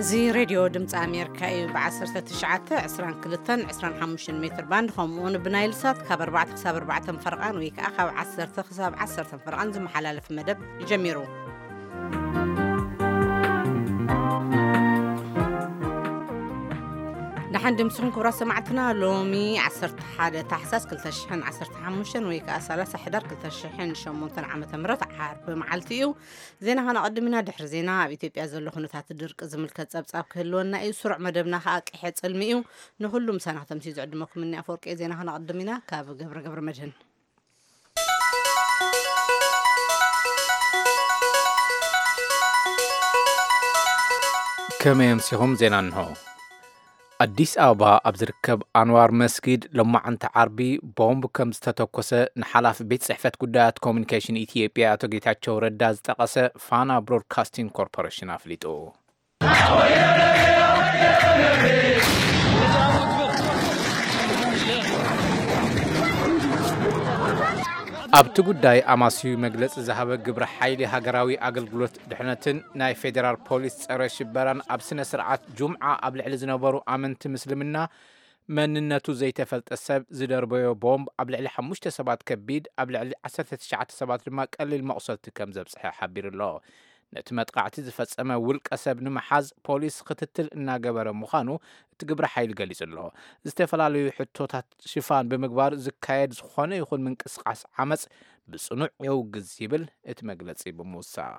እዚ ሬድዮ ድምፂ ኣሜሪካ እዩ። ብ19፣ 22፣ 25 ሜትር ባንድ፣ ከምኡ እውን ብናይል ሳት ካብ ኣርባዕተ ክሳብ ኣርባዕተ ፈረቓን ወይ ከዓ ካብ ዓሰርተ ክሳብ ዓሰርተ ፈረቓን ዝመሓላለፍ መደብ ጀሚሩ። ደሓን ድምስኹም ክቡራት ሰማዕትና። ሎሚ 11 ታሕሳስ 2015 ወይ ከዓ 30 ሕዳር 2008 ዓመተ ምህረት ዓርቢ መዓልቲ እዩ። ዜና ከነቐድም ኢና። ድሕሪ ዜና ኣብ ኢትዮጵያ ዘሎ ኩነታት ድርቂ ዝምልከት ጸብጻብ ክህልወና እዩ። ስሩዕ መደብና ከኣ ቅሐ ጽልሚ እዩ። ንኹሉ ምሳና ከተምስዩ ዝዕድመኩም እኒ ኣፈወርቂ። ዜና ከነቐድም ኢና ካብ ገብረ ገብረ መድህን። ከመይ ኣምሲኹም? ዜና እንሆ። ኣዲስ ኣበባ ኣብ ዝርከብ ኣንዋር መስጊድ ሎማዓንቲ ዓርቢ ቦምብ ከም ዝተተኮሰ ንሓላፊ ቤት ጽሕፈት ጉዳያት ኮሚኒኬሽን ኢትዮጵያ ኣቶ ጌታቸው ረዳ ዝጠቐሰ ፋና ብሮድካስቲንግ ኮርፖሬሽን ኣፍሊጡ። ኣብቲ ጉዳይ ኣማስዩ መግለጺ ዝሃበ ግብረ ሓይሊ ሃገራዊ ኣገልግሎት ድሕነትን ናይ ፌዴራል ፖሊስ ጸረ ሽበራን ኣብ ስነ ስርዓት ጁምዓ ኣብ ልዕሊ ዝነበሩ ኣመንቲ ምስልምና መንነቱ ዘይተፈልጠ ሰብ ዝደርበዮ ቦምብ ኣብ ልዕሊ ሓሙሽተ ሰባት ከቢድ፣ ኣብ ልዕሊ ዓሰርተ ትሽዓተ ሰባት ድማ ቀሊል መቑሰልቲ ከም ዘብጽሐ ሓቢሩ ኣሎ። ነቲ መጥቃዕቲ ዝፈጸመ ውልቀ ሰብ ንምሓዝ ፖሊስ ክትትል እናገበረ ምዃኑ እቲ ግብረ ሓይሊ ገሊጹ ኣሎ። ዝተፈላለዩ ሕቶታት ሽፋን ብምግባር ዝካየድ ዝኾነ ይኹን ምንቅስቓስ ዓመጽ ብጽኑዕ የውግዝ ይብል እቲ መግለጺ ብምውሳኽ።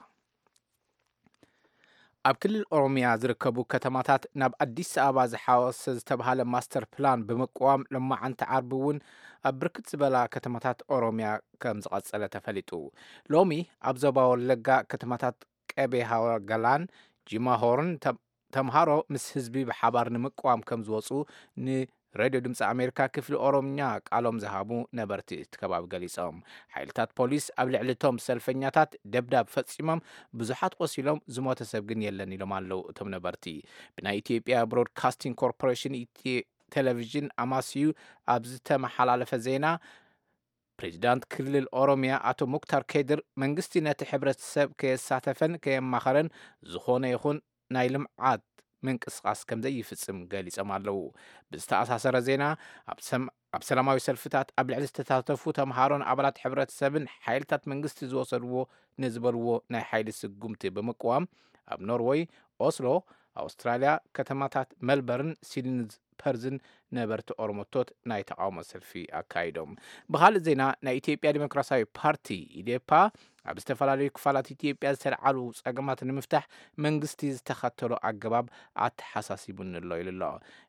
ኣብ ክልል ኦሮሚያ ዝርከቡ ከተማታት ናብ ኣዲስ ኣበባ ዝሓወሰ ዝተባሃለ ማስተር ፕላን ብምቅዋም ሎማዓንቲ ዓርቢ እውን ኣብ ብርክት ዝበላ ከተማታት ኦሮሚያ ከም ዝቐጸለ ተፈሊጡ። ሎሚ ኣብ ዞባ ወለጋ ከተማታት ቀቤ ሃወገላን ጂማ ሆርን ተ-፣ ተምሃሮ ምስ ህዝቢ ብሓባር ንምቅዋም ከም ዝወፁ ንሬድዮ ድምፂ ኣሜሪካ ክፍሊ ኦሮምኛ ቃሎም ዝሃቡ ነበርቲ እቲ ከባቢ ገሊፆም። ሓይልታት ፖሊስ ኣብ ልዕሊ እቶም ሰልፈኛታት ደብዳብ ፈፂሞም፣ ብዙሓት ቆሲሎም፣ ዝሞተ ሰብ ግን የለን ኢሎም ኣለዉ እቶም ነበርቲ። ብናይ ኢትዮጵያ ብሮድካስቲንግ ኮርፖሬሽን ኢትዮ-፣ ቴሌቪዥን ኣማስዩ ኣብ ዝተመሓላለፈ ዜና፣ ፕሬዚዳንት ክልል ኦሮሚያ ኣቶ ሙክታር ከድር መንግስቲ ነቲ ሕብረተሰብ ከየሳተፈን ከየማኸረን ዝኾነ ይኹን ናይ ልምዓት ምንቅስቓስ ከም ዘይፍጽም ገሊጾም ኣለዉ። ብዝተኣሳሰረ ዜና፣ ኣብ ሰም-፣ ኣብ ሰላማዊ ሰልፍታት ኣብ ልዕሊ ዝተሳተፉ ተምሃሮን ኣባላት ሕብረተሰብን ሓይልታት መንግስቲ ዝወሰድዎ ንዝበልዎ ናይ ሓይሊ ስጉምቲ ብምቅዋም፣ ኣብ ኖርወይ ኦስሎ፣ ኣውስትራልያ፣ ከተማታት መልበርን ሲድኒ ፐርዝን ነበርቲ ኦሮሞቶት ናይ ተቃውሞ ሰልፊ ኣካይዶም። ብኻልእ ዜና፣ ናይ ኢትዮጵያ ዲሞክራሲያዊ ፓርቲ፣ ኢዴፓ፣ ኣብ ዝተፈላለዩ ክፋላት ኢትዮጵያ ዝተልዓሉ ጸገማት ንምፍታሕ መንግስቲ ዝተኸተሎ ኣገባብ ኣተሓሳሲቡኒ ኣሎ ኢሉ ኣሎ።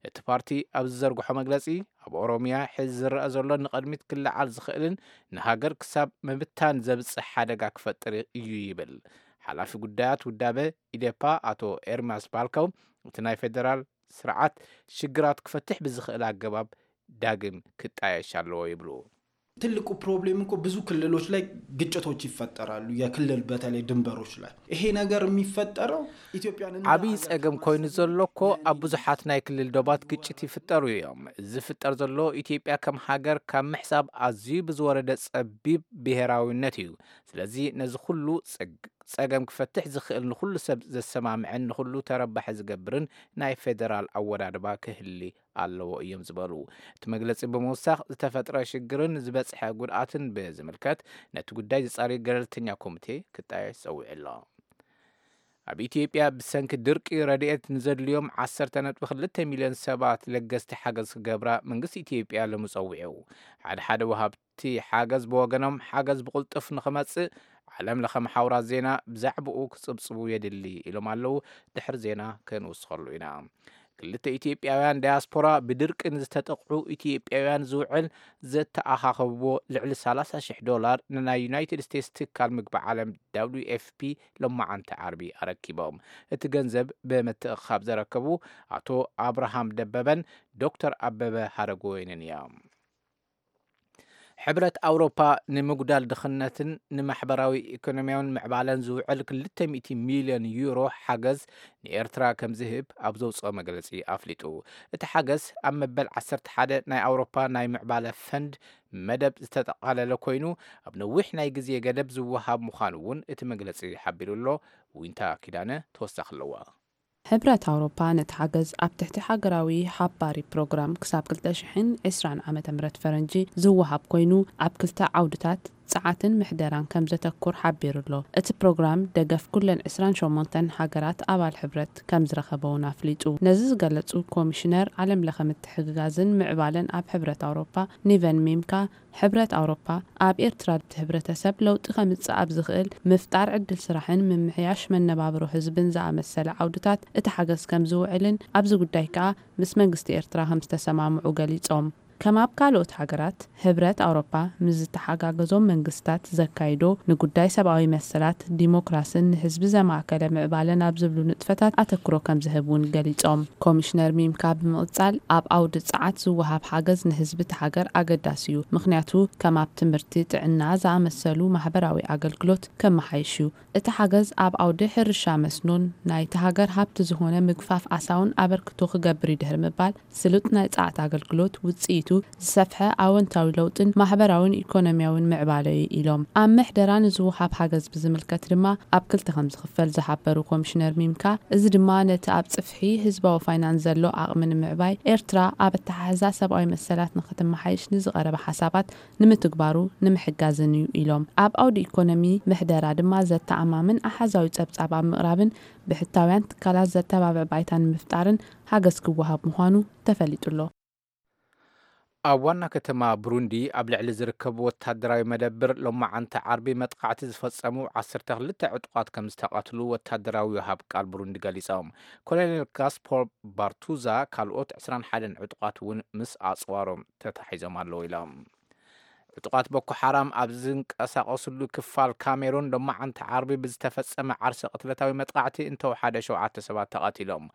እቲ ፓርቲ ኣብ ዝዘርግሖ መግለጺ፣ ኣብ ኦሮሚያ ሕዚ ዝረኣ ዘሎ ንቕድሚት ክለዓል ዝኽእልን ንሃገር ክሳብ ምብታን ዘብጽሕ ሓደጋ ክፈጥር እዩ ይብል። ሓላፊ ጉዳያት ውዳበ ኢዴፓ ኣቶ ኤርሚያስ ባልከው፣ እቲ ናይ ፌደራል ስርዓት ሽግራት ክፈትሕ ብዝኽእል ኣገባብ ዳግም ክጣየሽ ኣለዎ ይብሉ። ትልቁ ፕሮብሌም እኮ ብዙ ክልሎች ላይ ግጭቶች ይፈጠራሉ። የክልል በተለይ ድንበሮች ላይ ይሄ ነገር የሚፈጠረው ኢትዮጵያን እንደ ዓብይ ሀገር ጸገም ኮይኑ ከማሰብ ዘሎ እኮ ኣብ ብዙሓት ናይ ክልል ዶባት ግጭት ይፍጠሩ እዮም። እዚ ዝፍጠር ዘሎ ኢትዮጵያ ከም ሃገር ካብ ምሕሳብ ኣዝዩ ብዝወረደ ጸቢብ ብሔራዊነት እዩ። ስለዚ ነዚ ኩሉ ጸግ-፣ ጸገም ክፈትሕ ዝኽእል ንኹሉ ሰብ ዘሰማምዕን ንኹሉ ተረባሒ ዝገብርን ናይ ፌደራል ኣወዳድባ ክህሊ ኣለዎ እዮም ዝበሉ። እቲ መግለጺ ብምውሳኽ ዝተፈጥረ ሽግርን ዝበጽሐ ጉድኣትን ብዝምልከት ነቲ ጉዳይ ዝጻሪ ገለልተኛ ኮሚቴ ክጣየሽ ጸዊዑ ኣሎ። ኣብ ኢትዮጵያ ብሰንኪ ድርቂ ረድኤት ንዘድልዮም 12 ሚልዮን ሰባት ለገስቲ ሓገዝ ክገብራ መንግስቲ ኢትዮጵያ ሎሚ ጸዊዑ። ሓደ ሓደ ወሃብቲ ሓገዝ ብወገኖም ሓገዝ ብቕልጡፍ ንኽመጽእ ዓለም ለኸ መሓውራት ዜና ብዛዕባኡ ክጽብጽቡ የድሊ ኢሎም ኣለዉ። ድሕሪ ዜና ክንውስኸሉ ኢና። ክልተ ኢትዮጵያውያን ዳያስፖራ ብድርቂ ንዝተጠቕዑ ኢትዮጵያውያን ዝውዕል ዘተኣኻኸብዎ ልዕሊ 30,000 ዶላር ንናይ ዩናይትድ ስቴትስ ትካል ምግቢ ዓለም ደብሊው ኤፍ ፒ ሎማዓንቲ ዓርቢ ኣረኪቦም። እቲ ገንዘብ ብምትእኻብ ዘረከቡ ኣቶ ኣብርሃም ደበበን ዶክተር ኣበበ ሃረጎወይንን እዮም። ሕብረት ኣውሮፓ ንምጉዳል ድኽነትን ንማሕበራዊ ኢኮኖሚያውን ምዕባለን ዝውዕል 200 ሚልዮን ዩሮ ሓገዝ ንኤርትራ ከም ዝህብ ኣብ ዘውፅኦ መግለፂ ኣፍሊጡ። እቲ ሓገዝ ኣብ መበል 11 ናይ ኣውሮፓ ናይ ምዕባለ ፈንድ መደብ ዝተጠቓለለ ኮይኑ፣ ኣብ ነዊሕ ናይ ግዜ ገደብ ዝወሃብ ምዃኑ እውን እቲ መግለፂ ሓቢሩ ኣሎ። ዊንታ ኪዳነ ተወሳኺ ኣለዋ። ሕብረት ኣውሮፓ ነቲ ሓገዝ ኣብ ትሕቲ ሃገራዊ ሓባሪ ፕሮግራም ክሳብ ክልተ ሽሕን ዕስራን ዓመተ ምህረት ፈረንጂ ዝወሃብ ኮይኑ፣ ኣብ ክልተ ዓውድታት ጸዓትን ምሕደራን ከም ዘተኩር ሓቢሩ ኣሎ። እቲ ፕሮግራም ደገፍ ኩለን ዕስራን ሸሞንተን ሃገራት ኣባል ሕብረት ከም ዝረኸበ እውን ኣፍሊጡ። ነዚ ዝገለጹ ኮሚሽነር፣ ዓለም ለኸ ምትሕግጋዝን ምዕባለን ኣብ ሕብረት ኣውሮፓ ኒቨን ሚምካ፣ ሕብረት ኣውሮፓ ኣብ ኤርትራ እቲ ሕብረተሰብ ለውጢ ከምጽእ ኣብ ዝኽእል ምፍጣር ዕድል ስራሕን ምምሕያሽ መነባብሮ ህዝብን ዝኣመሰለ ዓውድታት እቲ ሓገዝ ከም ዝውዕልን ኣብዚ ጉዳይ ከኣ ምስ መንግስቲ ኤርትራ ከም ዝተሰማምዑ ገሊጾም። ከም ኣብ ካልኦት ሃገራት፣ ሕብረት ኣውሮፓ ምስ ዝተሓጋገዞም መንግስታት ዘካይዶ ንጉዳይ ሰብኣዊ መሰላት፣ ዲሞክራስን ንህዝቢ ዘማእከለ ምዕባለን ኣብ ዝብሉ ንጥፈታት ኣተክሮ ከም ዝህብ እውን ገሊጾም። ኮሚሽነር ሚምካ ብምቕጻል፣ ኣብ ኣውዲ ጸዓት ዝወሃብ ሓገዝ ንህዝቢ እቲ ሃገር ኣገዳሲ እዩ፣ ምኽንያቱ ከም ኣብ ትምህርቲ፣ ጥዕና ዝኣመሰሉ ማሕበራዊ ኣገልግሎት ከመሓይሽ እዩ። እቲ ሓገዝ ኣብ ኣውዲ ሕርሻ መስኖን ናይቲ ሃገር ሃብቲ ዝኾነ ምግፋፍ ዓሳውን ኣበርክቶ ክገብር እዩ ድሕሪ ምባል፣ ስሉጥ ናይ ጸዓት ኣገልግሎት ውጽኢቱ ዝሰፍሐ ኣወንታዊ ለውጥን ማሕበራውን ኢኮኖሚያውን ምዕባለ እዩ ኢሎም። ኣብ ምሕደራ ንዝወሃብ ሓገዝ ብዝምልከት ድማ ኣብ ክልተ ከም ዝኽፈል ዝሓበሩ ኮሚሽነር ሚምካ፣ እዚ ድማ ነቲ ኣብ ጽፍሒ ህዝባዊ ፋይናንስ ዘሎ ዓቕሚ ንምዕባይ፣ ኤርትራ ኣብ ኣተሓሕዛ ሰብኣዊ መሰላት ንክትመሓይሽ ንዝቐረበ ሓሳባት ንምትግባሩ ንምሕጋዝን እዩ ኢሎም። ኣብ ኣውዲ ኢኮኖሚ ምሕደራ ድማ ዘተኣማምን ኣሓዛዊ ጸብጻብ ኣብ ምቕራብን ብሕታውያን ትካላት ዘተባብዕ ባይታ ንምፍጣርን ሓገዝ ክወሃብ ምዃኑ ተፈሊጡ ኣሎ። ኣብ ዋና ከተማ ብሩንዲ ኣብ ልዕሊ ዝርከቡ ወታደራዊ መደብር ሎማዓንቲ ዓርቢ መጥቃዕቲ ዝፈጸሙ ዓሰርተ ክልተ ዕጡቓት ከም ዝተቐትሉ ወታደራዊ ወሃብ ቃል ብሩንዲ ገሊጾም። ኮሎኔል ጋስፖር ባርቱዛ ካልኦት ዕስራን ሓደን ዕጡቓት እውን ምስ ኣጽዋሮም ተታሒዞም ኣለዉ ኢሎም። ዕጡቓት ቦኮ ሓራም ኣብ ዝንቀሳቐስሉ ክፋል ካሜሩን ሎማዓንቲ ዓርቢ ብዝተፈጸመ ዓርሰ ቅትለታዊ መጥቃዕቲ እንተወሓደ ሸውዓተ ሰባት ተቐቲሎም።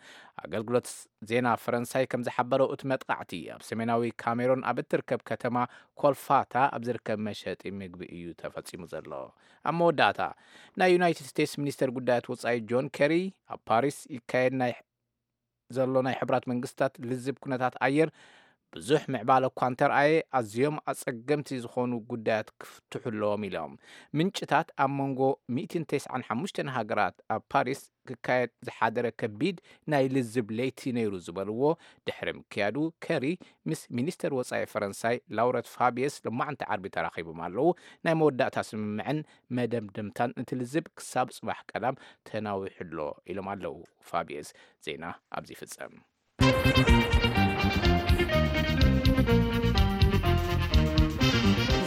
ኣገልግሎት ዜና ፈረንሳይ ከም ዝሓበሮ፣ እቲ መጥቃዕቲ ኣብ ሰሜናዊ ካሜሩን ኣብ እትርከብ ከተማ ኮልፋታ ኣብ ዝርከብ መሸጢ ምግቢ እዩ ተፈጺሙ ዘሎ። ኣብ መወዳእታ፣ ናይ ዩናይትድ ስቴትስ ሚኒስተር ጉዳያት ወጻኢ ጆን ኬሪ ኣብ ፓሪስ ይካየድ ናይ ዘሎ ናይ ሕቡራት መንግስታት ልዝብ ኩነታት ኣየር ብዙሕ ምዕባለ እኳ እንተርኣየ፣ ኣዝዮም ኣጸገምቲ ዝኾኑ ጉዳያት ክፍትሑ ኣለዎም ኢሎም። ምንጭታት ኣብ መንጎ ሚእትን ተስዓን ሓሙሽተን ሃገራት ኣብ ፓሪስ ክካየድ ዝሓደረ ከቢድ ናይ ልዝብ ለይቲ ነይሩ ዝበልዎ ድሕሪ ምክያዱ፣ ከሪ ምስ ሚኒስተር ወጻኢ ፈረንሳይ ላውረት ፋቢየስ ሎማዕንቲ ዓርቢ ተራኺቦም ኣለዉ። ናይ መወዳእታ ስምምዕን መደምደምታን እቲ ልዝብ ክሳብ ጽባሕ ቀዳም ተናዊሑ ኣሎ ኢሎም ኣለዉ ፋቢየስ። ዜና ኣብዚ ይፍጸም።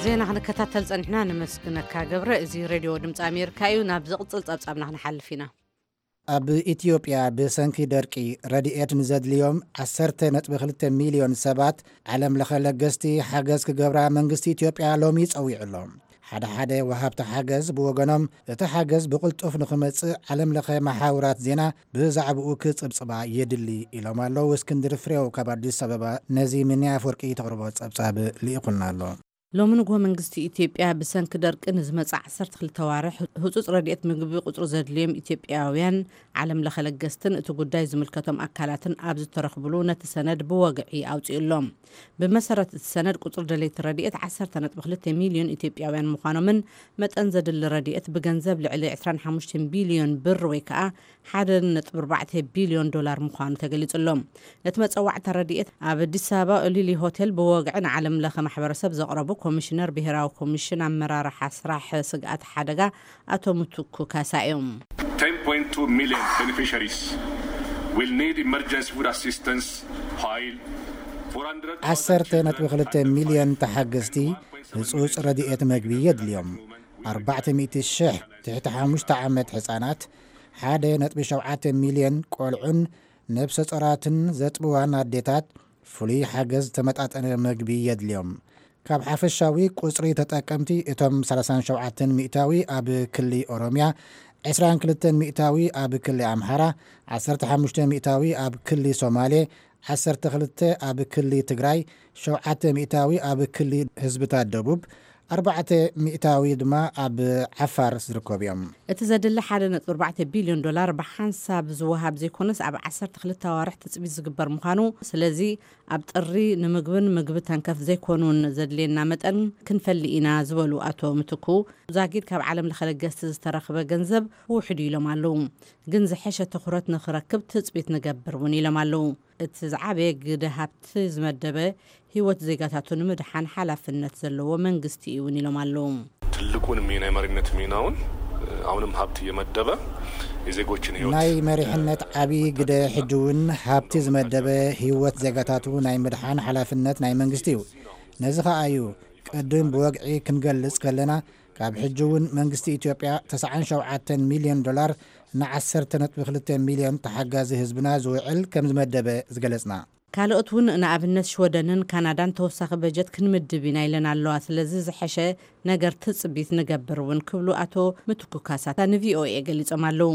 ዜና ክንከታተል ጸኒሕና፣ ነመስግነካ ገብረ። እዚ ሬድዮ ድምፂ ኣሜሪካ እዩ። ናብ ዝቕጽል ጸብጻብና ክንሓልፍ ኢና። ኣብ ኢትዮጵያ ብሰንኪ ደርቂ ረድኤት ንዘድልዮም ዓሰርተ ነጥቢ ክልተ ሚልዮን ሰባት ዓለም ለኸ ለገስቲ ሓገዝ ክገብራ መንግስቲ ኢትዮጵያ ሎሚ ጸዊዑ ኣሎ። ሓደ ሓደ ወሃብቲ ሓገዝ ብወገኖም፣ እቲ ሓገዝ ብቕልጡፍ ንኽመጽእ ዓለም ለኸ መሓውራት ዜና ብዛዕባኡ ክጽብጽባ የድሊ ኢሎም ኣለዉ። እስክንድር ፍሬው ካብ ኣዲስ ኣበባ ነዚ ሚኒ ኣፈወርቂ ተቕርቦ ጸብጻብ ልኢኹልና ኣሎ። ሎሚ ንግሆ መንግስቲ ኢትዮጵያ ብሰንኪ ደርቂ ንዝመጽእ ዓሰርተ ክልተ ዋርሕ ህጹጽ ረድኤት ምግቢ ቁጽሪ ዘድልዮም ኢትዮጵያውያን ዓለም ለኸ ለገስትን እቲ ጉዳይ ዝምልከቶም ኣካላትን ኣብ ዝተረኽብሉ ነቲ ሰነድ ብወግዒ ኣውጺኡ ኣሎ። ብመሰረት እቲ ሰነድ ቁጽሪ ደለይቲ ረድኤት ዓሰርተ ነጥቢ ክልተ ሚልዮን ኢትዮጵያውያን ምዃኖምን መጠን ዘድሊ ረድኤት ብገንዘብ ልዕሊ ዕስራን ሓሙሽተን ቢልዮን ብር ወይ ከዓ ሓደ ነጥቢ ኣርባዕተ ቢልዮን ዶላር ምዃኑ ተገሊጹ ኣሎ። ነቲ መጸዋዕታ ረድኤት ኣብ ኣዲስ ኣበባ ኦሊሊ ሆቴል ብወግዒ ንዓለም ለኸ ማሕበረሰብ ዘቕረቡ ኮሚሽነር ብሄራዊ ኮሚሽን ኣመራርሓ ስራሕ ስግኣት ሓደጋ ኣቶ ምትኩ ካሳ እዮም። ten point two million beneficiaries will need emergency food assistance, while ዓሰርተ ነጥቢ ክልተ ሚልዮን ተሓገዝቲ ህጹጽ ረድኤት መግቢ የድልዮም። ኣርባዕተ ሚእቲ ሽሕ ትሕቲ ሓሙሽተ ዓመት ህጻናት፣ ሓደ ነጥቢ ሸውዓተ ሚልዮን ቆልዑን ነብሰ ጾራትን ዘጥብዋን ኣዴታት ፍሉይ ሓገዝ ዝተመጣጠነ መግቢ የድልዮም። ካብ ሓፈሻዊ ቁጽሪ ተጠቀምቲ፣ እቶም ሰላሳን ሸውዓተን ሚእታዊ ኣብ ክሊ ኦሮምያ፣ ዕስራን ክልተን ሚእታዊ ኣብ ክሊ ኣምሓራ፣ ዓሰርተ ሓሙሽተ ሚእታዊ ኣብ ክሊ ሶማሌ፣ ዓሰርተ ክልተ ኣብ ክሊ ትግራይ፣ ሸውዓተ ሚእታዊ ኣብ ክሊ ህዝብታት ደቡብ፣ ኣርባዕተ ሚእታዊ ድማ ኣብ ዓፋር ዝርከቡ እዮም። እቲ ዘድሊ ሓደ ነጥቢ ኣርባዕተ ቢልዮን ዶላር ብሓንሳብ ዝወሃብ ዘይኮነስ፣ ኣብ ዓሰርተ ክልተ ኣዋርሕ ትጽቢት ዝግበር ምዃኑ፣ ስለዚ ኣብ ጥሪ ንምግብን ምግቢ ተንከፍ ዘይኮኑን ዘድልየና መጠን ክንፈሊ ኢና ዝበሉ ኣቶ ምትኩ፣ ዛጊድ ካብ ዓለም ለኸ ለገስቲ ዝተረኽበ ገንዘብ ውሕድ እዩ ኢሎም ኣለዉ። ግን ዝሐሸ ትኹረት ንኽረክብ ትጽቢት ንገብር እውን ኢሎም ኣለዉ። እቲ ዝዓበየ ግደ ሃብቲ ዝመደበ ህይወት ዜጋታቱ ንምድሓን ሓላፍነት ዘለዎ መንግስቲ እዩ እውን ኢሎም ኣለዉ። ትልቁን ሚና፣ የመሪነት ሚናውን፣ አሁንም ሀብት እየመደበ የዜጎችን ህይወት ናይ መሪሕነት ዓብዪ ግደ ሕጂ እውን ሃብቲ ዝመደበ ህይወት ዜጋታቱ ናይ ምድሓን ሓላፍነት ናይ መንግስቲ እዩ። ነዚ ኸኣ እዩ ቅድም ብወግዒ ክንገልጽ ከለና፣ ካብ ሕጂ እውን መንግስቲ ኢትዮጵያ ተስዓን ሸውዓተን ሚልዮን ዶላር ንዓሰርተ ነጥቢ ክልተ ሚልዮን ተሓጋዚ ህዝብና ዝውዕል ከም ዝመደበ ዝገለጽና። ካልኦት እውን ንኣብነት ሽወደንን ካናዳን ተወሳኺ በጀት ክንምድብ ኢና ኢለን ኣለዋ። ስለዚ ዝሐሸ ነገር ትጽቢት ንገብር እውን ክብሉ ኣቶ ምትኩ ካሳ ንቪኦኤ ገሊጾም ኣለዉ።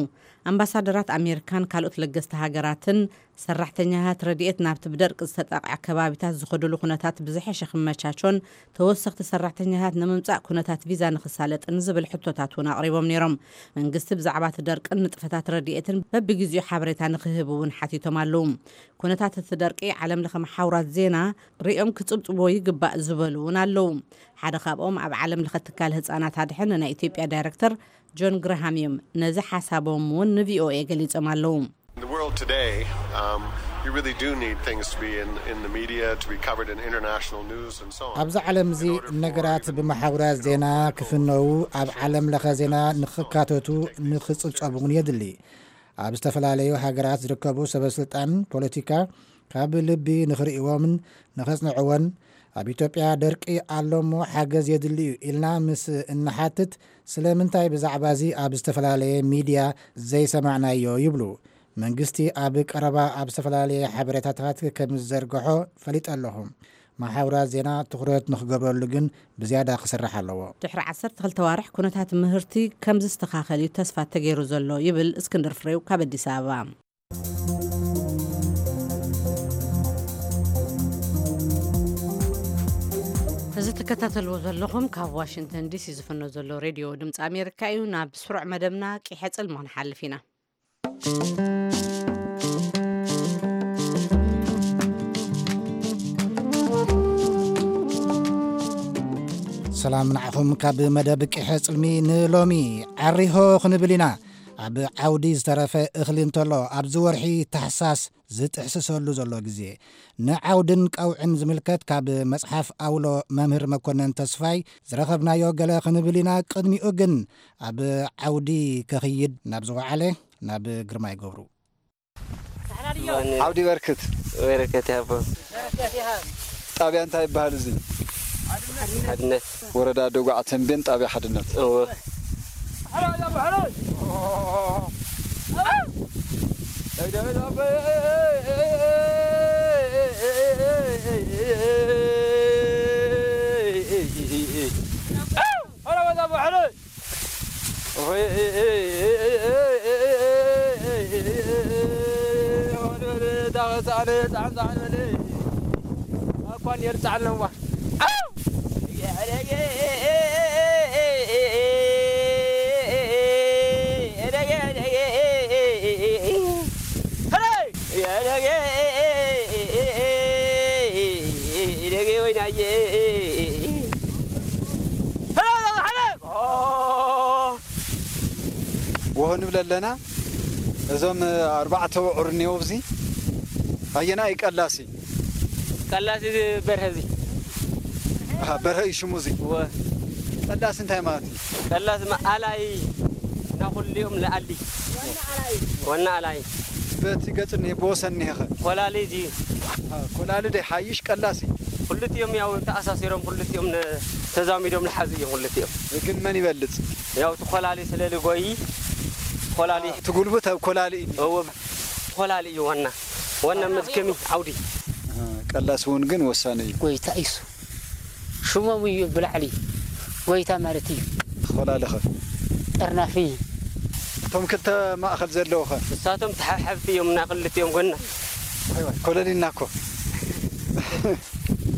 ኣምባሳደራት ኣሜሪካን ካልኦት ለገስቲ ሃገራትን ሰራሕተኛታት ረድኤት ናብቲ ብደርቂ ዝተጠቕዐ ከባቢታት ዝኸዱሉ ኩነታት ብዝሐሸ ክመቻቾን ተወሰኽቲ ሰራሕተኛታት ንምምጻእ ኩነታት ቪዛ ንኽሳለጥን ዝብል ሕቶታት እውን ኣቕሪቦም ነይሮም። መንግስቲ ብዛዕባ እቲ ደርቅን ንጥፈታት ረድኤትን በብግዜኡ ሓበሬታ ንኽህብ እውን ሓቲቶም ኣለዉ። ኩነታት እቲ ደርቂ ዓለም ለኸ መሓውራት ዜና ሪኦም ክጽብጽቦ ይግባእ ዝበሉ እውን ኣለዉ። ሓደ ካብኦም ኣብ ዓለም ለኸ ትካል ህጻናት ኣድሕን ናይ ኢትዮጵያ ዳይረክተር ጆን ግርሃም እዮም። ነዚ ሓሳቦም እውን ንቪኦኤ ገሊጾም ኣለዉ። In the world today, um, you really do need things to be in, in the media, to be covered in international news and so on. ኣብዚ ዓለም እዚ ነገራት ብመሓውራት ዜና ክፍነዉ፣ ኣብ ዓለም ለኸ ዜና ንኽካተቱ፣ ንኽጽብጸቡ እውን የድሊ። ኣብ ዝተፈላለዩ ሃገራት ዝርከቡ ሰበስልጣን ፖለቲካ ካብ ልቢ ንኽርእይዎምን ንኸጽንዕዎን፣ ኣብ ኢትዮጵያ ደርቂ ኣሎ እሞ ሓገዝ የድሊ እዩ ኢልና ምስ እንሓትት፣ ስለምንታይ ብዛዕባ እዚ ኣብ ዝተፈላለየ ሚድያ ዘይሰማዕናዮ ይብሉ። መንግስቲ ኣብ ቀረባ ኣብ ዝተፈላለየ ሓበሬታታት ከም ዝዘርግሖ ፈሊጠ ኣለኹ። መሓውራት ዜና ትኹረት ንኽገብረሉ ግን ብዝያዳ ክስራሕ ኣለዎ። ድሕሪ ዓሰርተ ክልተ ኣዋርሕ ኩነታት ምህርቲ ከም ዝስተኻኸል እዩ ተስፋ ተገይሩ ዘሎ ይብል እስክንድር ፍሬው ካብ ኣዲስ ኣበባ። እዚ ትከታተልዎ ዘለኹም ካብ ዋሽንግተን ዲሲ ዝፍኖ ዘሎ ሬድዮ ድምፂ ኣሜሪካ እዩ። ናብ ስሩዕ መደብና ቂሐ ጽልሚ ክንሓልፍ ኢና። ሰላም ንዓኹም። ካብ መደብ ቂሐ ጽልሚ ንሎሚ ዓሪሆ ክንብል ኢና። ኣብ ዓውዲ ዝተረፈ እኽሊ እንተሎ ኣብዚ ወርሒ ታሕሳስ ዝጥሕስሰሉ ዘሎ ግዜ፣ ንዓውድን ቀውዕን ዝምልከት ካብ መጽሓፍ ኣውሎ መምህር መኮነን ተስፋይ ዝረኸብናዮ ገለ ክንብል ኢና። ቅድሚኡ ግን ኣብ ዓውዲ ከኽይድ ናብ ዝወዓለ ናብ ግርማይ ገብሩ። ዓውዲ በርክት። በረከት ያቦ። ጣብያ እንታይ ይበሃል እዚ? ሓድነት። ወረዳ ደጉዓ ተንቤን ጣብያ ሓድነት። እወ። ወሆ ንብል ኣለና። እዞም ኣርባዕተ ውዑር እኒኦ፣ ኣብዚ ኣየናይ ቀላሲ? ቀላሲ በርሀ፣ እዚ። ኣሃ፣ በርሀ እዩ ሽሙ እዚ። እወ። ቀላሲ እንታይ ማለት እዩ? ቀላሲ ማ-፣ ኣላይ፣ እና ኩሊኦም ለኣሊ። ዋና ኣላይ። በቲ ገጽ እኒሄ፣ ብወሰን እኒሄ ኸ? ኮላሊ እዚ። ኣሃ፣ ኮላሊ ዶ ይሓይሽ ቀላሲ? ክልቲኦም ያው ተኣሳሲሮም፣ ክልቲኦም ነ-፣ ተዛሚዶም ለሓዙ እዮም ክልቲኦም። ግን መን ይበልጽ? ያው እቲ ኮላሊ ስለ ልጎይ፣ ኮላሊ። እቲ ጉልበት ኣብ ኮላሊ እዩ። እወ፣ ኮላሊ እዩ ዋና፣ ዋና መዝከሚ ዓውዲ። ኣሃ፣ ቀላሲ እውን ግን ወሳኒ እዩ። ጎይታ እዩ። ሽሞም እዩ ብላዕሊ ጎይታ ማለት እዩ። ኮላሊ ኸ? ጠርናፊ። እቶም ክልተ ማእኸል ዘለዉ ኸ? ንሳቶም ተሓብሓብቲ እዮም፣ ናይ ክልቲኦም ጎና። ዋይ ዋይ፣ ኮለል ኢልና እኮ።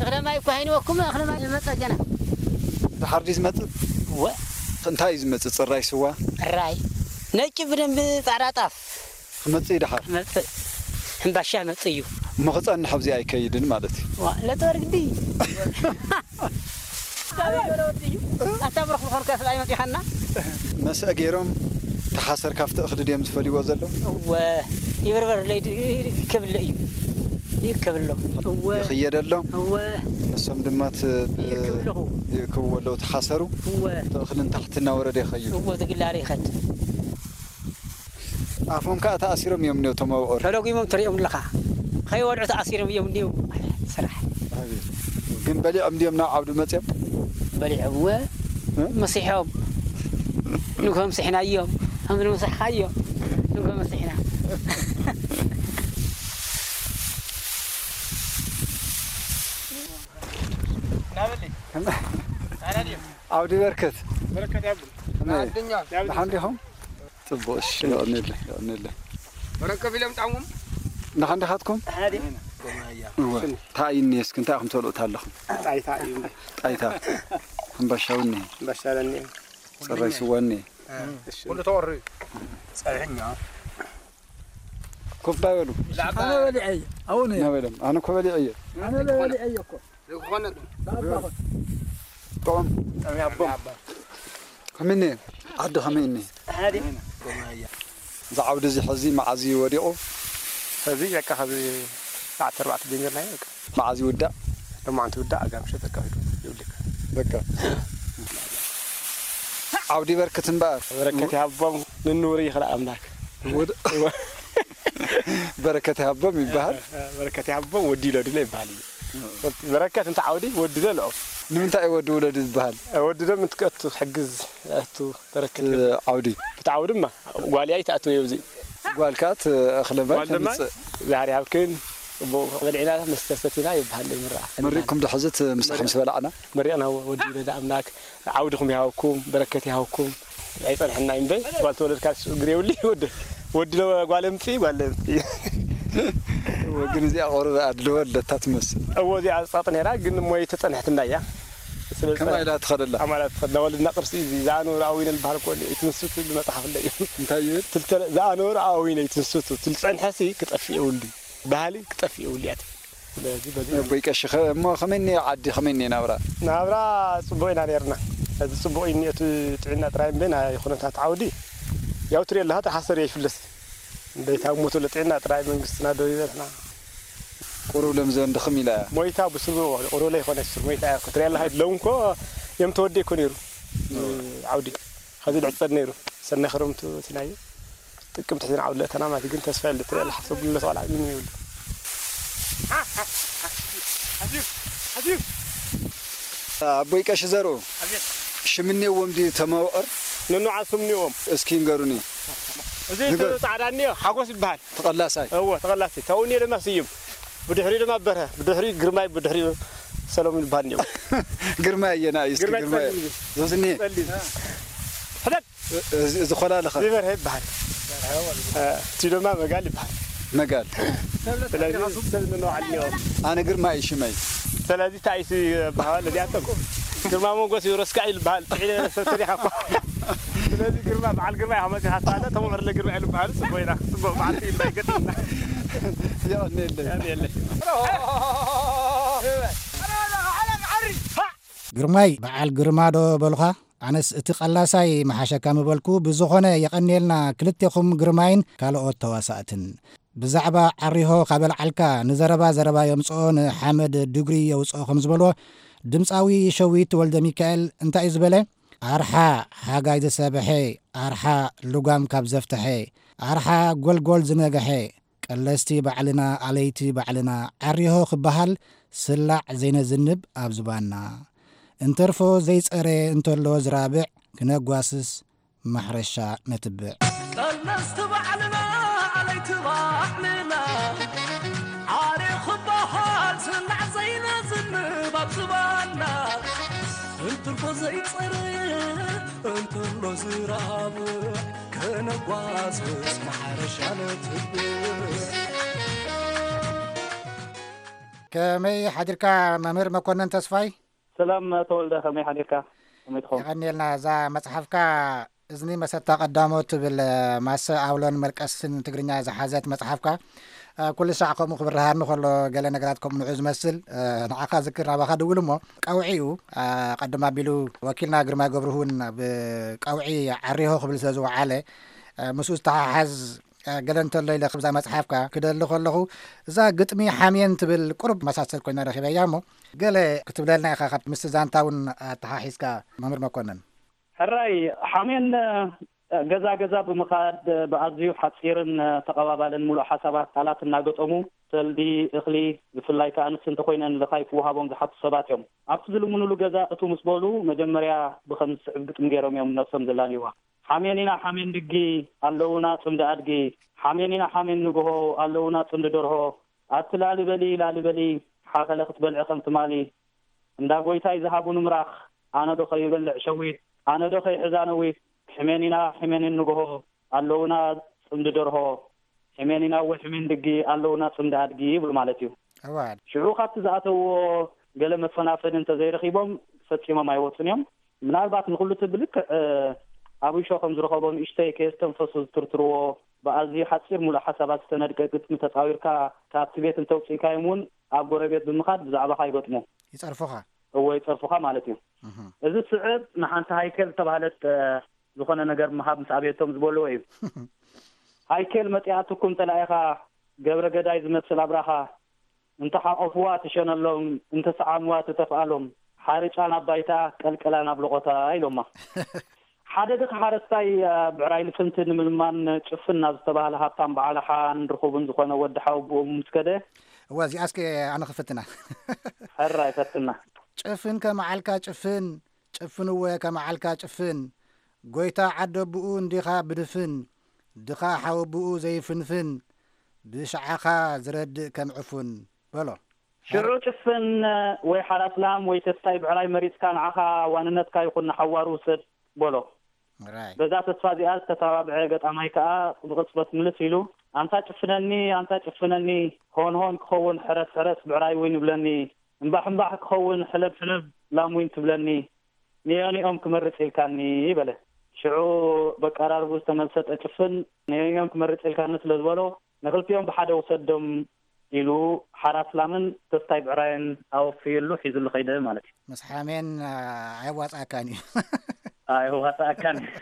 እኽለ ማይ እኮ ሃይንወኩም፣ እኽለ ማይ ይመጸ ገና። ድሓር ድዩ ዝመጽእ? እወ። እንታይ እዩ ዝመጽእ? ጽራይ ስዋ? ራይ ነጭ ብደንብ ጻዕዳ ጣፍ ክመጽእ እዩ ድሓር? መጽእ ሕምባሻ መጽእ እዩ። እሞ ክጸንሕ ኣብዚ ኣይከይድን ማለት እዩ። ዋ ለጠር ግዲ ኣታ ብረኽ ምኾንካ ስለ ኣይመጺኻና። መስአ ገይሮም ተሓሰር ካብቲ እኽሊ ድዮም ዝፈልይዎ ዘለዉ? እወ ይብርበር ለይ ይከብለ እዩ። ይከብሎ እወ ይኽየደሎም። እወ ንሶም ድማ ት- ይእክብ ኣለኹ። ይእክብዎ ኣለዉ። ተሓሰሩ እወ እቲ እኽሊ ንታሕቲ እናወረደ ይኸይድ። እወ ዝግላሪ ይኸድ። ኣፎም ከዓ ተኣሲሮም እዮም እኒኦ እቶም ኣብዑር። ተለጉሞም ትሪኦም ኣለኻ። ከይወድዑ ተኣሲሮም እዮም እኒኦ። ስራሕ ግን በሊዖም ድዮም ናብ ዓውዲ መፅዮም? በሊዖም እወ እ? መሲሖም። ንጎ ምሲሕናዮም። ከምዚ ምሳሕካዮ ንጎ መሲሕና። ዓውዲ በርክት በረከት ያብል ከመይ? ደሓን ዲኹም? ፅቡቅ እሺ። የቐንየለይ፣ የቐንየለይ። በረከት ኢሎም ጣሙም ደሓን ዲኻትኩም? እወ። እንታይ እዩ እኒሄ እስኪ እንታይ ኢኹም ተልኡት ኣለኹም? ጣይታ እዩ ጣይታ ሕምባሻው እኒሄ በሻለኒ ፅራይ ስዋ እኒሄ ኩሉ ተወሪ ጸብሕኛ ኮፍ ዳበሉ ኣነ በሊዐ እየ ኣሁን እየ ናበሎም ኣነ እኮ በሊዐ እየ ኣነ በሊዐ እየ እኮ ዝኾነ ባባኹም ከመይ እኒሄ ዓዲ ከመይ እኒሄ? እዚ ዓውዲ እዚ ሕዚ መዓዝ እዩ ወዲቑ? እዚ በቃ ከዚ ሰዓት ኣርባዕተ ጀሚርና በቃ መዓዝ ይውዳእ? ደሞ ኣንቲ ውዳእ ኣጋምሸ ተካሂዱ ይውልቅ በቃ ዓውዲ በርክት እምበኣር በረከት ይሃቦም ንንውሪ ይኽእል ኣምላክ ወድ- በረከት ይሃቦም ይበሃል። በረከት ይሃቦም ወዲ ይለዱለ ይበሃል እዩ በረከት እንተ ዓውዲ ወዲ ዘለኦም ንምንታይ እዩ ወዲ ውለዱ ዝበሃል? ወዲ ደም እንትከቱ ሕግዝ ኣቱ በረከት ዓውዲ ብትዓው ድማ ጓልያ ይትኣትወ ኣብዚ ጓልካ ትእኽለ ማይ ጓል ድማ ተምፅእ ዛህር ይሃብክን ጽቡቕ በሊዕና መስተ ሰቲና ይበሃል ይምርዓ መሪቕኩም ዶ ሕዚ እቲ ምሳሕ ምስ በላዕና መሪቕና ወዲ ይለዳ ኣምላክ ዓውድኹም ይሃብኩም በረከት ይሃብኩም ኣይጸንሐና እምበ ጓል ተወለድካ እግር የብሉ ወዲ ወዲ ጓል ምጽ ጓል ምጽ ግን እዚኣ ቆርበ ኣድልዎ ኣለታ ትመስል እዎ እዚኣ ጻጥ ነራ ግን ሞይ ተጸንሐትና እያ ከማ ኢላ ትኸደላ ኣማላት ተኸድና ወለድና ቅርሲ እዚ ዝኣነወሩ ኣዊነ ዝበሃል ኮ ኣይትንስቱ ዝመጽሓፍ ኣለዩ እንታይ ይብል ዝኣነወሩ ኣዊነ ኣይትንስቱ ትልጸንሐሲ ክጠፍእ የብሉ ባህሊ ክጠፍእ የብሉ እያ ትብል ስለዚ በዚ ኣቦይ ቀሺ ኸ- እሞ ከመይ እኒኦ ዓዲ ከመይ እኒኦ ናብራ ናብራ ጽቡቕ ኢና ነርና እዚ ጽቡቕ እዩ እኒኦቱ ጥዕና ጥራይ እምበ ናይ ኩነታት ዓውዲ ያው ትሪኦ ኣለኻ ተሓሰር ይፍለስ እንደይታ ሞቱ ለጥዕና ጥራይ መንግስትና ዶ ይበልና ቁሩብ ለምዘን ድኽም ኢላ እያ ሞይታ ብስሩ ቁሩብ ለይኮነ ስር ሞይታ ክትሪኦ ኣለኻ ሎም ኮ እዮም ተወዲ እኮ ነይሩ ዓውዲ ኸዚ ድዕጸድ ነይሩ ሰናይ ክረምቱ እቲ ናይ ጥቅምቲ ሕዝን ዓውዲ ለእተና ማለት ግን ተስፋ የለ ትሪኦ ኣለኻ ሰብ ብሎ ተዋላ ምን ይብሉ ኣቦይ ቀሺ ዘርኡ ሽምኔዎም ድዩ ተመውዕር ንንዓ ስምኒዎም እስኪ ንገሩኒ እዚ እቲ ጻዕዳ እኒኦ ሓጎስ ይበሃል ተቐላሳይ እወ ተቐላሲ ተውኒ ድማ ስዩም ብድሕሪ ድማ በርሀ ብድሕሪ ግርማይ ብድሕሪ ሰሎሙን ይበሃል እኒኦ ግርማይ ኣየና እዩ እስኪ ግርማይ ግርማይ ጸሊም ዞዝኒ ጸሊም ሕደግ እዚ ኾላለኸ እዚ በርሀ ይበሃል እቲ ድማ መጋል ይበሃል መጋል ስለዚ ሰብ ንነዋዓል እኒኦ ኣነ ግርማ እዩ ሽመይ ስለዚ ታይሲ በሃል እዚኣቶም ግርማ ሞገስ እዩ ረስካ እዩ ዝበሃል ጥዒለ ሰተሪኻ እኳ ስለዚ ግርማ በዓል ግርማ ኢኻ መፂኻ ስለ ተመምር ለግርማ እዩ ዝበሃል ፅቡቅ ኢና ፅቡቅ በዓልቲ ይባይ ገጥምና የቐንየለይ የለ ግርማይ በዓል ግርማ ዶ በሉኻ? ኣነስ እቲ ቀላሳይ መሓሸካ ምበልኩ። ብዝኾነ የቐንየልና ክልቴኹም ግርማይን ካልኦት ተዋሳእትን። ብዛዕባ ዓሪሆ ካብ ኣልዓልካ ንዘረባ ዘረባ የምጽኦ ንሓመድ ድጉሪ የውጽኦ ከም ዝበልዎ ድምጻዊ ሸዊት ወልደሚካኤል እንታይ እዩ ዝበለ? ኣርሓ ሓጋይ ዝሰብሐ ኣርሓ ልጓም ካብ ዘፍተሐ ኣርሓ ጎልጎል ዝነግሐ ቀለስቲ ባዕልና ኣለይቲ ባዕልና ዓሪሆ ክበሃል ስላዕ ዘይነዝንብ ኣብ ዝባንና እንተርፎ ዘይጸረ እንተሎ ዝራብዕ ክነጓስስ ማሕረሻ ነትብዕ። ቀለስቲ ባዕልና ኣለይቲ ባዕልና ዓሪኹ ክበሃል ስላዕ ዘይነዝንብ ኣብ ዝባንና እንተርፎ ዘይጸረ እንተሎ ዝራብዕ ከነጓስስ ማሕረሻ ነትብዕ። ከመይ ሓዲርካ መምህር መኮነን ተስፋይ? ሰላም ተወልደ ከመይ ሓዲርካ? ከመይ ትኸውን? የቐንየልና። እዛ መጽሓፍካ እዝኒ መሰታ ቀዳሞት ትብል፣ እ፣ ማሰ ኣውሎን መልቀስን ትግርኛ ዝሓዘት መጽሓፍካ፣ እ፣ ኩሉ ሳዕ ከምኡ ክብርሃኒ ከሎ ገለ ነገራት ከምኡ ንዑ ዝመስል፣ እ፣ ንዓኻ ዝክር ናባኻ ድውል እሞ፣ ቀውዒ እዩ። እ፣ ቀድም ኣቢሉ ወኪልና ግርማይ ገብርሁ እውን ብቀውዒ ዓሪሆ ክብል ስለ ዝወዓለ፣ እ፣ ምስኡ ዝተሓሓዝ፣ እ፣ ገለ እንተሎ ኢለ ክብዛ መጽሓፍካ ክደሊ ከለኹ፣ እዛ ግጥሚ ሓሜን ትብል ቁሩብ መሳሰል ኮይና ረኺበያ እሞ፣ ገለ ክትብለልና ኢኻ፣ ካብ ምስቲ ዛንታ እውን ኣተሓሒዝካ መምህር መኮነን። ሕራይ፣ ሓሜን፣ እ፣ ገዛ ገዛ ብምኻድ፣ እ፣ ብኣዝዩ ሓጺርን፣ እ፣ ተቐባባልን ምሉእ ሓሳባት ቃላት እናገጠሙ ሰልዲ፣ እኽሊ፣ ብፍላይ ከኣ ኣንስቲ እንተኾይነን ልኻይ ክወሃቦም ዝሓቱ ሰባት እዮም። ኣብቲ ዝልምኑሉ ገዛ እቱ ምስ በሉ መጀመርያ ብኸም ዝስዕብ ግጥሚ ገይሮም እዮም ነብሶም ዘላልይዋ። ሓሜን ኢና ሓሜን ድጊ፣ ኣለዉና ጽምዲ ኣድጊ። ሓሜን ኢና ሓሜን ንግሆ፣ ኣለዉና ጽምዲ ደርሆ። ኣቲ ላሊ በሊ ላሊ በሊ፣ ሓኸለ ክትበልዒ ከም ትማሊ። እንዳ ጎይታይ ዝሃቡ ንምራኽ፣ ኣነ ዶ ከይበልዕ ሸዊት፣ ኣነ ዶ ከይሕዛ ነዊት። ሕሜን ኢና ሕሜን ንግሆ፣ ኣለዉና ጽምዲ ደርሆ። ሕሜን ኢና ወይ ሕሜን ድጊ፣ ኣለዉና ጽምዲ ኣድጊ ይብሉ ማለት እዩ። እዋ። ሽዑ ካብቲ ዝኣተውዎ ገለ መፈናፈኒ እንተዘይረኺቦም ፈጺሞም ኣይወጹን እዮም። ምናልባት ንኹሉ እቲ ብልክዕ፣ እ፣ ኣብሾ ከም ዝረኸቦ ንእሽተይ ከየስተንፈሱ ዝትርትርዎ ብኣዝዩ ሓጺር ሙሉእ ሓሳባት ዝተነድቀ ግጥሚ ተጻዊርካ ካብቲ ቤት እንተውጽኢካዮም እውን ኣብ ጎረቤት ብምኻድ ብዛዕባኻ ይገጥሙ። ይጸርፉኻ። እወ፣ ይጸርፉኻ ማለት እዩ። እህ። እዚ ስዕብ ንሓንቲ ሃይከል ዝተባህለት፣ እ፣ ዝኾነ ነገር ምሃብ ምስ ኣበየቶም ዝበልዎ እዩ። ሃይከል መጺኣትኩም ጸላኢኻ ገብረ ገዳይ ዝመስል ኣብራኻ እንተ ሓቆፍዋ ትሸነሎም፣ እንተ ሰዓምዋ ትተፍኣሎም፣ ሓርጫ ናብ ባይታ፣ ቀልቀላ ናብ ለቖታ ኢሎማ። ሓደ ድኻ ሓረስታይ፣ እ፣ ብዕራይ ልፍንቲ ንምልማን ጭፍን ናብ ዝተባህለ ሃብታም በዓል ሓን ርኹብን ዝኾነ ወዲ ሓወቦኡ ምስ ከደ። እዋ፣ እዚኣስ ከ ኣነ ክፍትና። ሕራይ ፈትና። ጭፍን ከመዓልካ ጭፍን፣ ጭፍን እወ ከመዓልካ ጭፍን፣ ጎይታ ዓደቦኡ እንዲኻ ብድፍን፣ ድኻ ሓወቦኡ ዘይፍንፍን፣ ብሽዓኻ ዝረድእ ከም ዕፉን በሎ። ሽዑ ጭፍን ወይ ሓራስ ላም ወይ ተስታይ ብዕራይ መሪጽካ ንዓኻ ዋንነትካ ይኹን ንሓዋሩ ውሰድ በሎ። ራይ። በዛ ተስፋ እዚኣ ዝተተባብዐ ገጣማይ ከኣ ብቕጽበት ምልስ ኢሉ፣ ኣንታ ጭፍነኒ፣ ኣንታ ጭፍነኒ፣ ሆን ሆን ክኸውን ሕረስ ሕረስ ብዕራይ እውን ይብለኒ፣ እምባሕ እምባሕ ክኸውን ሕለብ ሕለብ ላም እውን ትብለኒ፣ ነዮኒኦም ክመርጽ ኢልካኒ በለ። ሽዑ በቀራርቡ ዝተመሰጠ ጭፍን ነዮኒኦም ክመርጽ ኢልካኒ ስለ ዝበሎ፣ ንኽልቲኦም ብሓደ ውሰዶም ኢሉ ሓራስ ላምን ተስታይ ብዕራይን ኣወፍዩሉ ሒዙሉ ኸይደ ማለት እዩ። ምስ ሓሜን፣ ኣ፣ ኣየዋጽኣካን እዩ። ኣየዋጽኣካን እዩ።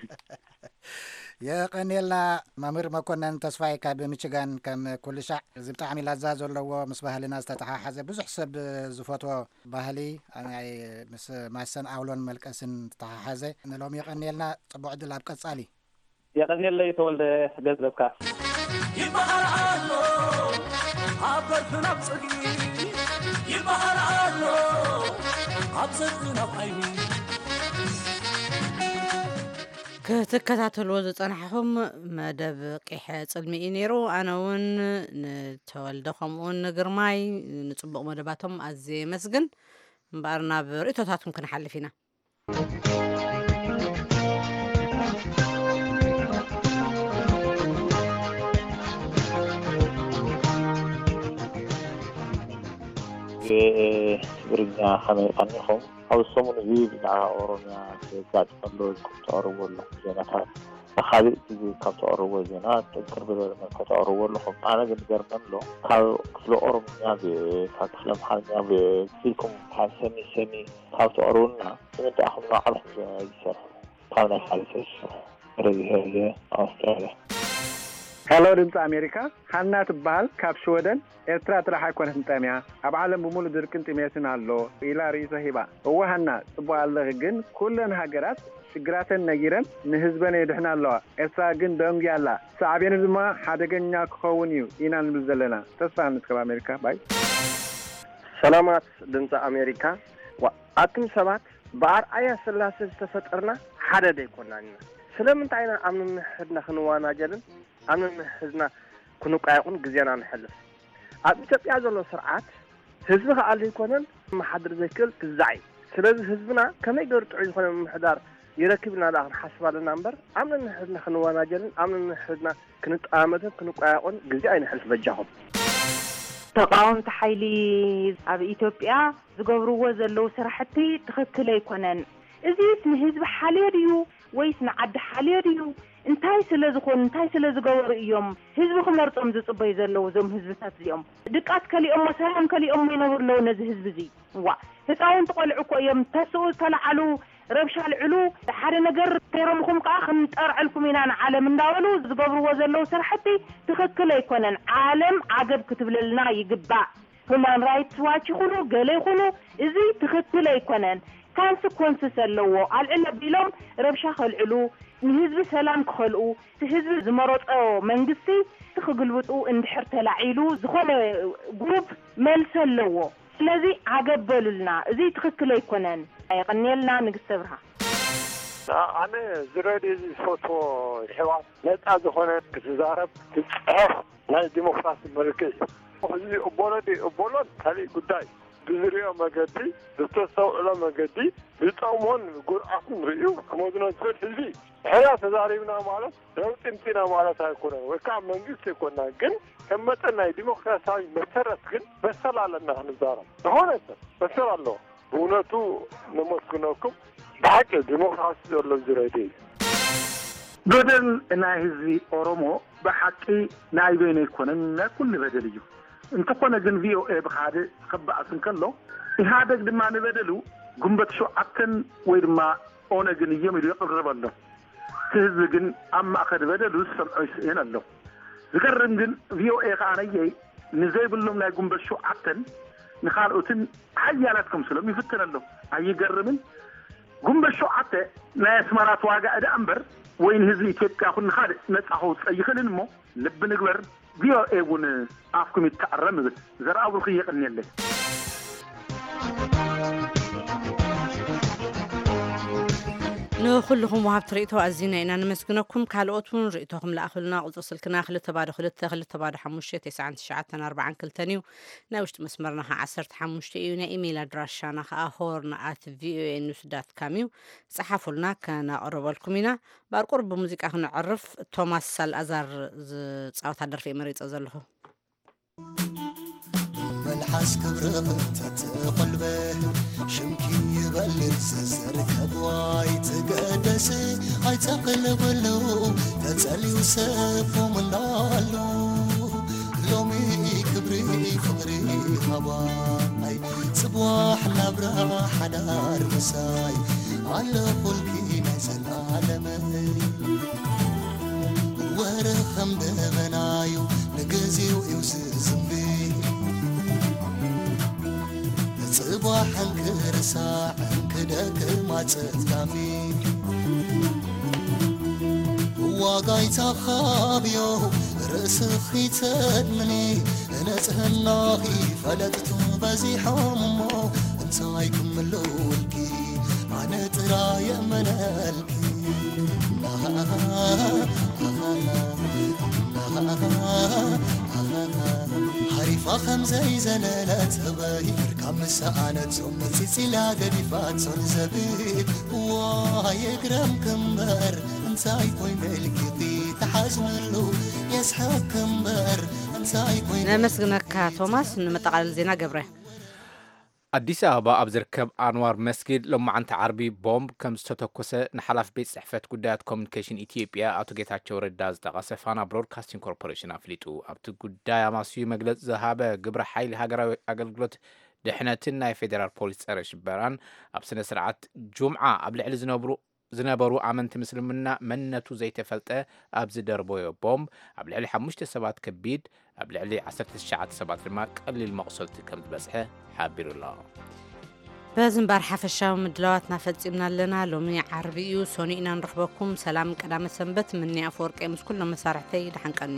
የቐንየልና መምህር መኮነን ተስፋይ ካብ ሚችጋን። ከም ኩሉ ሻዕ እዚ ብጣዕሚ ላዛ ዘለዎ ምስ ባህልና ዝተተሓሓዘ ብዙሕ ሰብ ዝፈትዎ ባህሊ ናይ ምስ ማሰን ኣውሎን መልቀስን ዝተሓሓዘ ንሎም የቐንየልና። ጽቡቕ ዕድል ኣብ ቀጻሊ። የቐንየለይ ተወልደ ገንዘብካ። ይበሃል ኣሎ ኣብ በርፍን ኣብ ጽድቂ፣ ይበሃል ኣሎ ኣብ ጽድቅን ኣብ ዓይኒ። ክትከታተልዎ ዝጸናሕኹም መደብ ቂሐ ጽልሚ እዩ ነይሩ። ኣነ እውን ንተወልደ ከምኡውን ንግርማይ ንጽቡቕ መደባቶም ኣዝየ የመስግን። እምበኣር ናብ ርእይቶታትኩም ክንሓልፍ ኢና። ትግርኛ ከመይ ቀኒኹም? ኣብ ሰሙን እዚ ብዛዕባ ኦሮምያ ዘጋጥም ዘሎ ኢልኩም ተቕርብዎ ኣለኹም ዜናታት። ብኻልእ ግዜ ካብ ተቕርብዎ ዜና ጥንክር ብዝበለ መልክዕ ተቕርብዎ ኣለኹም። ኣነ ግን ዝገርመኒ ኣሎ፣ ካብ ክፍሊ ኦሮምኛ ብ-፣ ካብ ክፍሊ ኣምሓርኛ ብ-፣ ኢልኩም ካብ ሰኒ ሰኒ ካብ ተቕርቡልና፣ ንምንታይ ኢኹም ንባዕልኹም ዘይትሰርሑ? ካብ ናይ ካልእ ሰብ ዝሰርሑ። ረዚ ሄርየ፣ ኣውስትራልያ። ሄሎ ድምፂ ኣሜሪካ፣ ሃና ትበሃል ካብ ሽወደን። ኤርትራ ጥራሕ ኣይኮነትን ጠምያ፣ ኣብ ዓለም ብምሉእ ድርቅን ጥሜትን ኣሎ ኢላ ርእይቶ ሂባ። እወ ሃና፣ ጽቡቕ ኣለኺ፣ ግን ኩለን ሃገራት ሽግራተን ነጊረን ንህዝበን የድሕና ኣለዋ። ኤርትራ ግን ደንጉያ ኣላ። ሳዕቤኑ ድማ ሓደገኛ ክኸውን እዩ ኢና ንብል ዘለና። ተስፋ ንስከብ ኣሜሪካ። ባይ። ሰላማት ድምፂ ኣሜሪካ። ዋ-፣ ኣቱም ሰባት ብኣርኣያ ስላሴ ዝተፈጠርና ሓደ ደይኮናን ኢና። ስለምንታይ ኢና ኣብ ነንሕድና ክንዋናጀልን ኣብ ነንሕድና ክንቋየቑን ግዜና ንሕልፍ? ኣብ ኢትዮጵያ ዘሎ ስርዓት ህዝቢ ክኣሊ ኣይኮነን፣ መሓድር ዘይክእል ግዛዕ እዩ። ስለዚ ህዝብና ከመይ ገይሩ ጥዑይ ዝኾነ ምምሕዳር ይረክብ ኢና ደኣ ክንሓስብ ኣለና እምበር፣ ኣብ ነንሕድና ክንወናጀልን ኣብ ነንሕድና ክንጠማመትን ክንቋየቑን ግዜ ኣይንሕልፍ በጃኹም። ተቓወምቲ ሓይሊ ኣብ ኢትዮጵያ ዝገብርዎ ዘለዉ ስራሕቲ ትኽክል ኣይኮነን። እዚስ ንህዝቢ ሓልዮ ድዩ ወይስ ንዓዲ ሓልዮ ድዩ? እንታይ ስለ ዝኾኑ እንታይ ስለ ዝገበሩ እዮም ህዝቢ ክመርጾም ዝጽበዩ ዘለዉ እዞም ህዝብታት እዚኦም? ድቃስ ከሊኦሞ ሰላም ከሊኦሞ ይነብሩ ኣለዉ ነዚ ህዝቢ እዚ። እዋ ህፃውንቲ ቆልዑ እኮ እዮም ተስኡ ዝተለዓሉ ረብሻ ኣልዕሉ ሓደ ነገር ተይረምኹም ከዓ ክንጠርዐልኩም ኢና ንዓለም እንዳበሉ ዝገብርዎ ዘለዉ ስራሕቲ ትኽክል ኣይኮነን። ዓለም ዓገብ ክትብለልና ይግባእ። ሁማን ራይትስ ዋች ይኹኑ ገለ ይኹኑ እዚ ትኽክል ኣይኮነን። ካንስኮንስስ ኣለዎ። ኣልዕል ኣቢሎም ረብሻ ከልዕሉ ንህዝቢ ሰላም ክኸልኡ እቲ ህዝቢ ዝመረፆ መንግስቲ ክግልብጡ እንድሕር ተላዒሉ ዝኾነ ግሩፕ መልሲ ኣለዎ። ስለዚ ዓገብ በሉልና። እዚ ትኽክል ኣይኮነን። የቐንየልና ንግስተ ብርሃ። ኣነ ዝረድ እዚ ዝፈትዎ ይሕዋት ነፃ ዝኾነ ክትዛረብ ትፅሕፍ ናይ ዲሞክራሲ መልክዕ እዩ። እዚ እቦሎ ዲ እቦሎን ካሊእ ጉዳይ ብዝሪኦ መገዲ ብተስተውዕሎ መገዲ ዝጠቕሞን ጉድኣቱን ርእዩ ክመዝኖ ዝኽእል ህዝቢ እዩ። ሕራ ተዛሪብና ማለት ለውጢ ምፂና ማለት ኣይኮነን ወይ ከዓ መንግስቲ ኣይኮና ግን ከም መጠን ናይ ዲሞክራሲያዊ መሰረት ግን መሰል ኣለና ክንዛረብ ዝኾነ ሰብ መሰል ኣለዎ። ብእውነቱ ነመስግነኩም። ብሓቂ ዲሞክራሲ ዘሎ ዝረድ እዩ። በደል ናይ ህዝቢ ኦሮሞ ብሓቂ ናይ በይኑ ኣይኮነን፣ ናይ ኩሉ በደል እዩ። እንተኾነ ግን ቪኦኤ ብኻልእ ክበኣስ እንከሎ ኢህኣደግ ድማ ንበደሉ ጉንበት ሸውዓተን ወይ ድማ ኦነግን እዮም ኢሉ የቕርብ ኣሎ። እቲ ህዝቢ ግን ኣብ ማእኸል በደሉ ዝሰምዖ ይስእን ኣሎ። ዝገርም ግን ቪኦኤ ከኣ ነየይ ንዘይብሎም ናይ ጉንበት ሸውዓተን ንኻልኦትን ሓያላት ከምስሎም ይፍትን ኣሎ። ኣይገርምን? ጉንበት ሸውዓተ ናይ ኣስመራ ተዋጋኢ ደኣ እምበር ወይ ንህዝቢ ኢትዮጵያ ኩን ንኻልእ ነጻ ከውጽእ ኣይኽእልን እሞ ልቢ ንግበር። ቪኦኤ እውን ኣፍኩም ይተኣረም እብል። ዘርኣብሩኽ የቐንየለይ። ንኹልኹም ወሃብቲ ርእይቶ ኣዚና ኢና ነመስግነኩም። ካልኦት እውን ርእይቶኹም ለኣኹልና። ቁጽሪ ስልክና ክልተ ባዶ ክልተ ክልተ ባዶ ሓሙሽተ ተስዓን ትሽዓተን ኣርባዓን ክልተን እዩ። ናይ ውሽጢ መስመርና ኸዓ ዓሰርተ ሓሙሽተ እዩ። ናይ ኢሜይል ኣድራሻና ኸዓ ሆርን ኣት ቪኦኤ ኒውስ ዳት ካም እዩ። ጸሓፉልና፣ ከነቕርበልኩም ኢና። ባር ቁሩብ ብሙዚቃ ክነዕርፍ። ቶማስ ሳልኣዛር ዝጻወታ ደርፊ እየ መሪጸ ዘለኹ። መልሓስ ክብርኽ እንተትቖልበ ሽምኪ ይበል ዝዝር ከብዋይ ትገደስ ኣይተቕልብሉ ተጸልዩ ሰብ ኮምላሉ ሎሚ ክብሪ ፍቕሪ ሃባይ ጽባሕ ናብራ ሓዳር ምሳይ ኣለኹልኪ ናይ ዘላለመይ ወረ ከም ደበናዩ ንግዜው እዩ ዝዝንቢ ጽባሕ እንክርሳዕ እንክደክም ኣጸጋሚ ዋጋይ ተኻብዮ ርእስኺ ተድምኒ ንጽህናኺ ፈለጥቱ በዚሖም እሞ እንታይ ክምልኡልኪ ኣነ ጥራይ የመነልኪ ሓሪፋ ከም ዘይዘለለት ህበይ ብርካ ምስ ሰኣነቶ መጺጺላ ገዲፋቶ ንዘብድ ዋይ እግረም ክምበር እንታይ ኮይነ ልኪኺ ተሓዝነሉ የስሕቅ ክምበር እንታይ ኮይነ ነመስግነካ ቶማስ። ንመጠቓለሊ ዜና ገብረ። ኣዲስ ኣበባ ኣብ ዝርከብ ኣንዋር መስጊድ ሎማዓንቲ ዓርቢ ቦምብ ከም ዝተተኮሰ ንሓላፊ ቤት ጽሕፈት ጉዳያት ኮሚኒኬሽን ኢትዮጵያ ኣቶ ጌታቸው ረዳ ዝጠቐሰ ፋና ብሮድካስቲንግ ኮርፖሬሽን ኣፍሊጡ። ኣብቲ ጉዳይ ኣማስዩ መግለጺ ዝሃበ ግብረ ሓይሊ ሃገራዊ ኣገልግሎት ድሕነትን ናይ ፌዴራል ፖሊስ ጸረ ሽበራን ኣብ ስነ ስርዓት ጁምዓ ኣብ ልዕሊ ዝነብሩ ዝነበሩ ኣመንቲ ምስልምና መንነቱ ዘይተፈልጠ ኣብ ዝደርበዮ ቦምብ ኣብ ልዕሊ ሓሙሽተ ሰባት ከቢድ ኣብ ልዕሊ ዓሰርተ ትሽዓተ ሰባት ድማ ቀሊል መቑሰልቲ ከም ዝበጽሐ ሓቢሩ ኣሎ። በዚ እምበር ሓፈሻዊ ምድላዋትና ፈጺምና ኣለና። ሎሚ ዓርቢ እዩ፣ ሰኑይ ኢና ንረኽበኩም። ሰላም ቀዳመ ሰንበት ምኒ ኣፈወርቂ ምስ ኩሎም መሳርሕተይ ደሓን ቀኒ።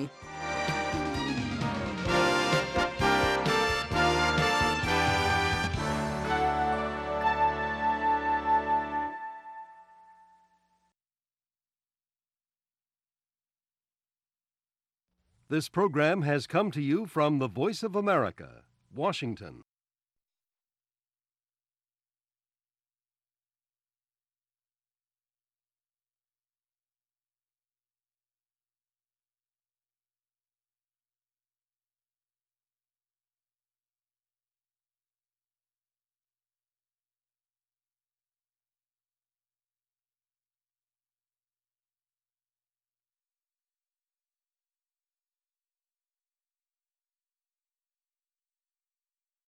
This program has come to you from the Voice of America, Washington.